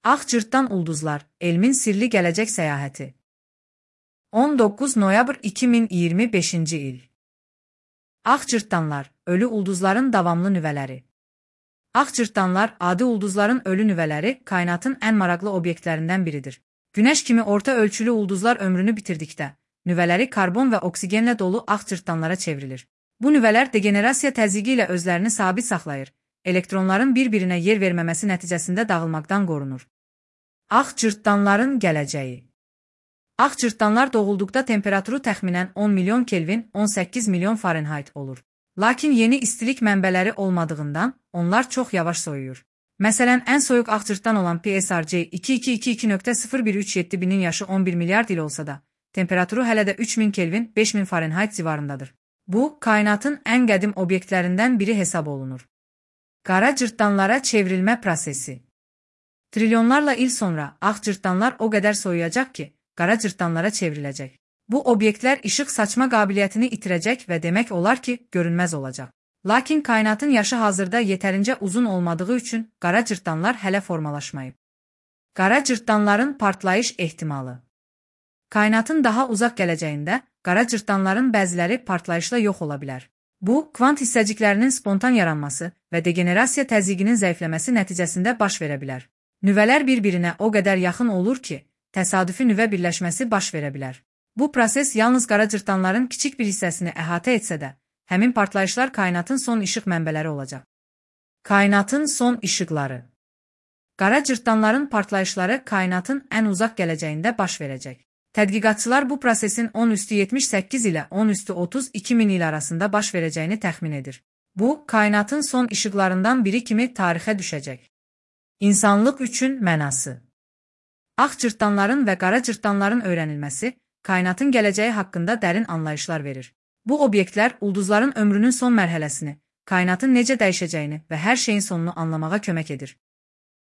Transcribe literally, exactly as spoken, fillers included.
Ağ Cırtdan Ulduzlar, elmin sirli gələcək səyahəti. on doqquz noyabr iki min iyirmi beşinci il. Ağ Cırtdanlar, ölü ulduzların davamlı nüvələri. Ağ Cırtdanlar, adi ulduzların ölü nüvələri, kainatın ən maraqlı obyektlərindən biridir. Günəş kimi orta ölçülü ulduzlar ömrünü bitirdikdə, nüvələri karbon və oksigenlə dolu ağ cırtdanlara çevrilir. Bu nüvələr degenerasiya təzyiqi ilə özlərini sabit saxlayır, elektronların bir-birinə yer verməməsi nəticəsində dağılmaqdan qorunur. Ağ cırtdanların gələcəyi. Ağ cırtdanlar doğulduqda temperaturu təxminən on milyon Kelvin, on səkkiz milyon Fahrenheit olur. Lakin yeni istilik mənbələri olmadığından onlar çox yavaş soyuyur. Məsələn, ən soyuq ağ cırtdan olan P S R C iki iki iki iki nöqtə sıfır bir üç yeddi binin yaşı on bir milyard il olsa da, temperaturu hələ də üç min Kelvin, beş min Fahrenheit civarındadır. Bu, kainatın ən qədim obyektlərindən biri hesab olunur. Qara cırtdanlara çevrilmə prosesi. Trilyonlarla il sonra ağ cırtdanlar o qədər soyuyacaq ki, qara cırtdanlara çevriləcək. Bu obyektlər işıq saçma qabiliyyətini itirəcək və demək olar ki, görünməz olacaq. Lakin kainatın yaşı hazırda yetərincə uzun olmadığı üçün qara cırtdanlar hələ formalaşmayıb. Qara cırtdanların partlayış ehtimalı. Kainatın daha uzaq gələcəyində qara cırtdanların bəziləri partlayışla yox ola bilər. Bu, kvant hissəciklərinin spontan yaranması və degenerasiya təzyiqinin zəifləməsi nəticəsində baş verə bilər. Nüvələr bir-birinə o qədər yaxın olur ki, təsadüfi nüvə birləşməsi baş verə bilər. Bu proses yalnız qara cırtdanların kiçik bir hissəsini əhatə etsə də, həmin partlayışlar kainatın son işıq mənbələri olacaq. Kainatın son işıqları. Qara cırtdanların partlayışları kainatın ən uzaq gələcəyində baş verəcək. Tədqiqatçılar bu prosesin on üstü yetmiş səkkiz ilə on üstü otuz iki min il arasında baş verəcəyini təxmin edir. Bu, kainatın son işıqlarından biri kimi tarixə düşəcək. İnsanlıq üçün mənası. Ağ cırtdanların və qara cırtdanların öyrənilməsi, kainatın gələcəyi haqqında dərin anlayışlar verir. Bu obyektlər ulduzların ömrünün son mərhələsini, kainatın necə dəyişəcəyini və hər şeyin sonunu anlamağa kömək edir.